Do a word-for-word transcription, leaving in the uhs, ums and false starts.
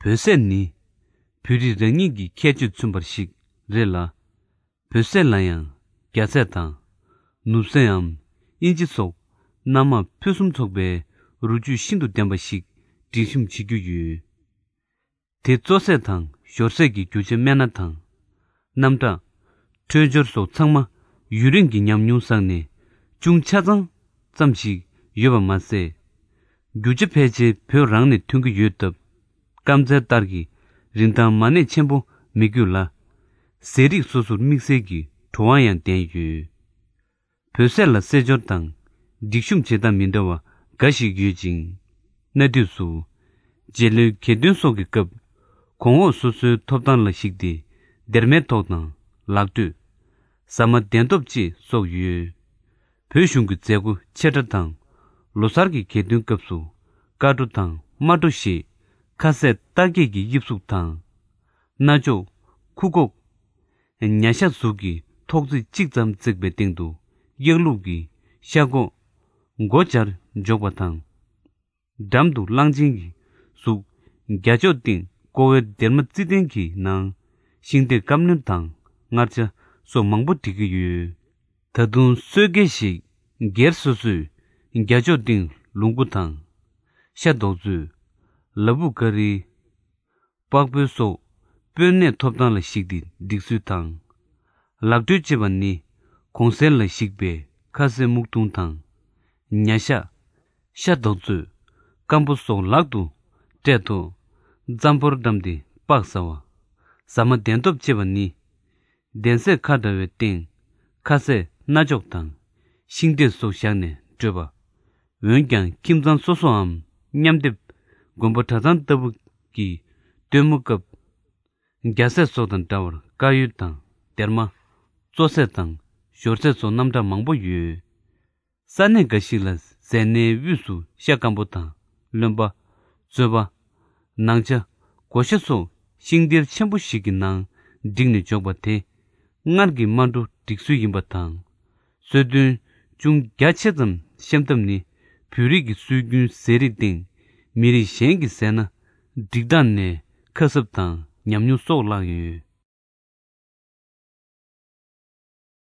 བོད་ཟས་ནི་བོད་རིགས་རང་ཉིད་ཀྱི་ཁྱད་ཆོས་མཚོན་པ་ཞིག་རེད་ལ། བོད་ཟས་ལ་ཡང་རྒྱ་ཟས་དང་ནུབ་ཟས་འམ་དབྱིན་ཇི་སོགས་སྣ་མང་ཕུན་སུམ་ཚོགས་པའི་རོ་བཅུད་ཤིན་ཏུ་ལྡན་པ་ཞིག་སྒྲིག་གཤོམ་བྱེད་རྒྱུ་ཡོད། དེ་གཙོ་ཟས་དང་ཞོར་ཟས་ཀྱི་རྒྱུ་ཆ་སྨན་སྣ་དང་། རྣམ་གྲངས། འཕྲོད་སྦྱོར་སོགས་ཚང་མ་ཡུན་རིང་གི་ཉམས་མྱོང་བསགས་ནས་ཅུང་ཆ་ཚང་ཙམ་ཞིག་ཡོད་པ་མ་ཟད། རྒྱུ་ཆ་ཕལ་ཆེར་བོད་རང་ནས་ཐོན་གྱི་ཡོད་སྟབས། སྐམ་ཚལ་ལྟར་གྱི་རིན་ཐང་མ་གནས་ཆེན་པོ་མི་དགོས་ལ། ཟས་རིགས་སོ་སོར་དམིགས་བསལ་གྱི་བྲོ་བ་ཡང་ལྡན་ཡོད། བོད་ཟས་ལ་རྩེད་འཇོར་དང་སྒྲིག་གཤོམ་བྱེད་སྟངས་མི་འདྲ་བ་འགའ་ཞིག་ཡོད་ཅིང་། གནའ་དུས་སུ་རྗེ་ལོའི་གྱེར་འདོན་སོགས་ཀྱི་སྐབས། གོང་འོག་སོ་སོའི་ཐོབ་ཐང་ལ་གཞིགས་ཏེ། སྡེར་མའི་ཐོག་དང་ལག་འགྲོས། ཟ་མ་གདན་ཐོབ་བཅས་སོགས་ཡོད། བོད་གཞུང་གི་མཛད་སྒོ་ཆེ་ཕྲ་དང་། ལོ་གསར་གྱི་གྱེར་འདོན་སྐབས་སུ་དཀར་སྤྲོ་དང་དམར་སྤྲོ་ཞེས་ཁ་ཟས་རྟགས་བརྒྱད་ཀྱི་དབྱིབས་གཟུགས་དང་། རྣ་ཅོག་ཁུ་ཁོག་ཉ་ཤ་གཟུགས་ཀྱི་ཐོག་བརྩེགས་གཅིག་ཙམ་བརྩེགས་པའི་སྟེང་དུ་གཡག་ལུག་གི་ཤ་ཁོག་མགོ་སྦྱར་འཇོག་པ་དང་། འགྲམ་དུ་གླང་ཆེན་གྱི་གཟུགས་རྒྱ་ཅོག་སྟེང་ཀོ་བའི་སྡེར་མ་རྩི་ལྡན་གྱི་ནང་ཤིང་འབྲས་སྐམ་རྣོན་དང་མངར་ཆ་སོགས་མང་པོ་སྒྲིག་གི་ཡོད། ད་དུང་སོས་ཀའི་ཞིག་སྒེར་སོ་སོས་རྒྱ་ཅོག་སྟེང་ལུག་མགོ་དང་། ཤ་རྡོག་བཙོས། ལ་ཕུག་ཀ་རི། པགས་སྤོས་སོགས་སྤོས་སྣས་ཐོབ་ཐང་ལ་གཞིགས་ཏེ་སྒྲིག་ཚུལ་དང་། ལག་འགྲོས་ཅེས་པ་ནི་གོང་གསལ་ལ་གཞིགས་པའི་ཁ་ཟས་སྨུག་ཐུང་དང་། ཉ་ཤ། ཤ་རྡོག་བཙོས། སྐམ་པོ་སོགས་ལག་ཏུ་སྤྲད་ཐོག་རྩམ་ཕོར་བཀྲམ་སྟེ་སྤགས་ཟ་བ། ཟ་མ་གདན་ཐོབ་ཅེས་པ་ནི། གདན་སའི་ཁ་འདྲ་བའི་སྟེང་ཁ་ཟས་རྣ་ཅོག་དང་ཤིང་འབྲས་སོགས་བཞག་ནས་སྤྲོད་པ། འོན་ཀྱང་ཁྱིམ་ཚང་སོ་སོའམ་མཉམ་སྡེབ་དགོན་པ་གྲྭ་ཚང་ལྟ་བུ་གི་སྟོན་མོ་སྐབས། རྒྱ་ཟས་སོགས་དང་འདྲ་བར་དཀར་ཡོལ་དང་སྡེར་མ། བཙོ་ཟས་དང་ཞོར་ཟས་སོགས་རྣམ་གྲངས་མང་པོ་ཡོད། ས་གནས་འགའ་ཞིག་ལ་ཟས་སྣའི་དབུས་སུ་ཤ་སྐམ་པོ་དང་རློན་པ། བཙོས་པ། ནང་ཆ། སྒོ་ཤ་སོགས་ཤིང་སྡེར་ཆེན་པོ་ཞིག་གི་ནང་བསྒྲིགས་ནས་འཇོག་པ་དེ། སྔར་གྱི་སྨན་གྲོ་སྒྲིག་སྲོལ་ཡིན་པ་དང་། སྲོལ་རྒྱུན་ཅུང་རྒྱ་ཆེ་ཙམ་བཤམས་ཐབས་ནི། བོད་རིགས་ཀྱི་སྲོལ་རྒྱུན་ཟས་རིགས་སྟེང་མི་རིགས་གཞན་གྱི་ཟས་སྣ་སྒྲིག་སྟངས་ནས་ཁ་གསབ་དང་ཉམས་མྱོང་སོགས་བརླག་ཡོད།